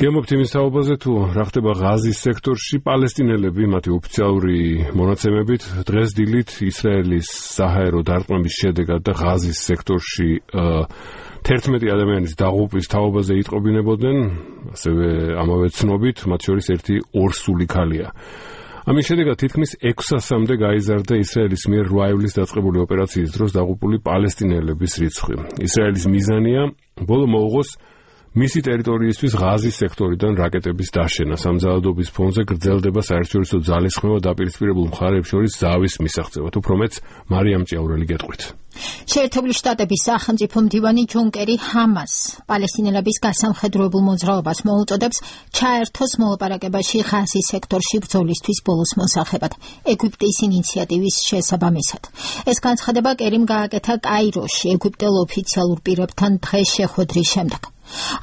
გემობთ იმის თაობაზე თუ რა ხდება ღაზის სექტორში პალესტინელები მათი ოფიციალური მონაცემებით დღეს დილით ისრაელის საჰაერო დარტყმების შედეგად და ღაზის სექტორში 11 ადამიანის დაღუპვის თაობაზე იტყობინებოდნენ, ასევე ამავე ცნობით, მათ შორის ერთი ორსული ქალია. ამის შედეგად თითქმის 600-მდე გაიზარდა ისრაელის მიერ 8 ივლისს დაწყებული ოპერაციის დროს დაღუპული პალესტინელების რიცხვი. ისრაელის მიზანია ბოლო მოუღოს მისი ტერიტორიისთვის ღაზის სექტორიდან რაკეტების დაშენა. სამზადობის ფონზე გრძელდება საერთაშორისო ძალისხმევა დაპირისპირებულ მხარეებს შორის ზავის მისაღწევად. უფრო მეც მარიამ ჭიაურელი გეტყვით. შეერთებული შტატების სახელმწიფო მდივანი ჯონ კერი ჰამას პალესტინელების გასამხედროებულ მოძრაობას მოუწოდებს ჩაერთოს მოლაპარაკებაში ღაზის სექტორში ბრძოლისთვის ბოლოს მოსახებად ეგვიპტის ინიციატივის შესაბამისად. ეს განცხადება კერიმ გააკეთა კაიროში ეგვიპტელ ოფიციალურ პირებთან დღეს შეხვედრის შემდეგ.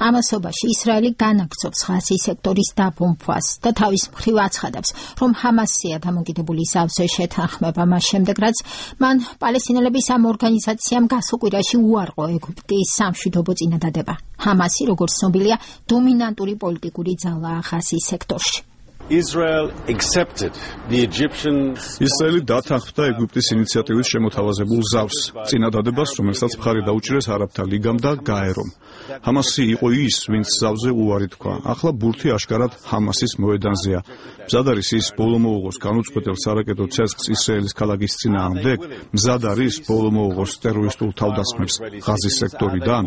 ამასობაში ისრაელი განაგრძობს ღაზის სექტორის დაბომბვას და თავის მხრივ აცხადებს, რომ ჰამასია დამოკიდებული ზავზე შეთანხმება მას შემდეგ, რაც მან პალესტინელების ამ ორგანიზაციამ გასულ კვირაში უარყო ეგვიპტის სამშვიდობო წინადადება. ჰამასი, როგორც ცნობილია, დომინანტური პოლიტიკური ძალაა ღაზის სექტორში. ისრაელი დათანხმდა ეგვიპტის ინიციატივის შემოთავაზებულ ზავს, წინადადებას, რომელსაც მხარი დაუჭირეს არაბთა ლიგამ და გაერომ. ჰამასი იყო ის, ვინც ზავზე უარი თქვა. ახლა ბურთი აშკარად ჰამასის მოედანზეა. მზად არის ის ბოლო მოუღოს განუწყვეტელ სარაკეტო ცეცხლს ისრაელის ქალაქის წინააღმდეგ, მზად არის ბოლო მოუღოს ტერორისტულ თავდასხმებს ღაზის სექტორიდან.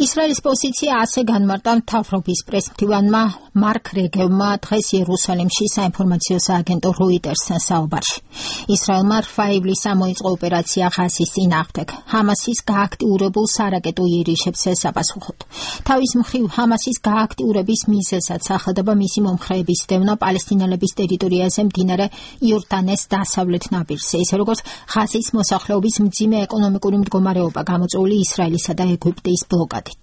ისრაელის პოზიცია ასე განმარტა მთავრობის პრესმდივანმა მარკ რეგევმა დღეს იერუსალიმში საინფორმაციო სააგენტო როიტერსთან საუბარში. ისრაელმა 8 ივლისს მოიწყო ოპერაცია ღაზის წინააღმდეგ, ჰამასის გააქტიურებულ სარაკეტო იერიშებს ესაპასუხოთ. თავის მხრივ ჰამასის გააქტიურების მიზეზად სახელდება მისი მომხრეების დევნა პალესტინელების ტერიტორიაზე მდინარე იორდანეს დასავლეთ ნაპირზე, ისე როგორც ღაზის მოსახლეობის მძიმე ეკონომიკური მდგომარეობა გამოწვეული ისრაელისა და ეგვიპტის ბლოკადით.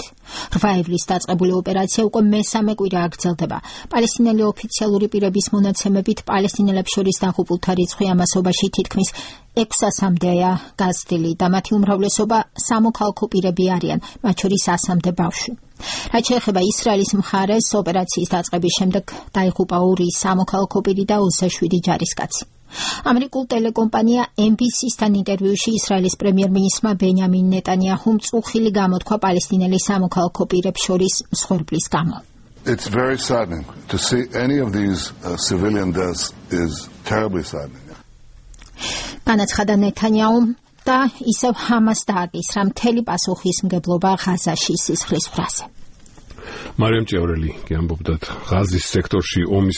8 ივლისს დაწყებული ოპერაცია უკვე მესამე კვირა გრძელდება. პალესტინელი ოფიციალური პირების მონაცემებით პალესტინელებს შორის დაღუპულთა რიცხვი ამასობაში თითქმის 600-მდეა გაზრდილი და მათი უმრავლესობა სამოქალაქო პირები არიან, მათ შორის 100-მდე ბავშვი. რაც შეეხება ისრაელის მხარეს, ოპერაციის დაწყების შემდეგ დაიღუპა 2 სამოქალაქო პირი და 27 ჯარისკაცი. ამერიკულ ტელეკომპანია NBC-სთან ინტერვიუში ისრაელის პრემიერ-მინისტრმა ბენიამინ ნეტანიაჰუმ წუხილი გამოთქვა პალესტინელი სამოქალაქო პირებს შორის მსხვერპლის გამო. It's very saddening to see any of these civilian deaths is terribly saddening. განაცხადა ნეტანიაჰუმ და ისევ ჰამას დააკისრა მთელი პასუხისმგებლობა ღაზაში სისხლის ფრაზე. მარიამ ჭიაურელი გიამბობდათ ღაზის სექტორში ომის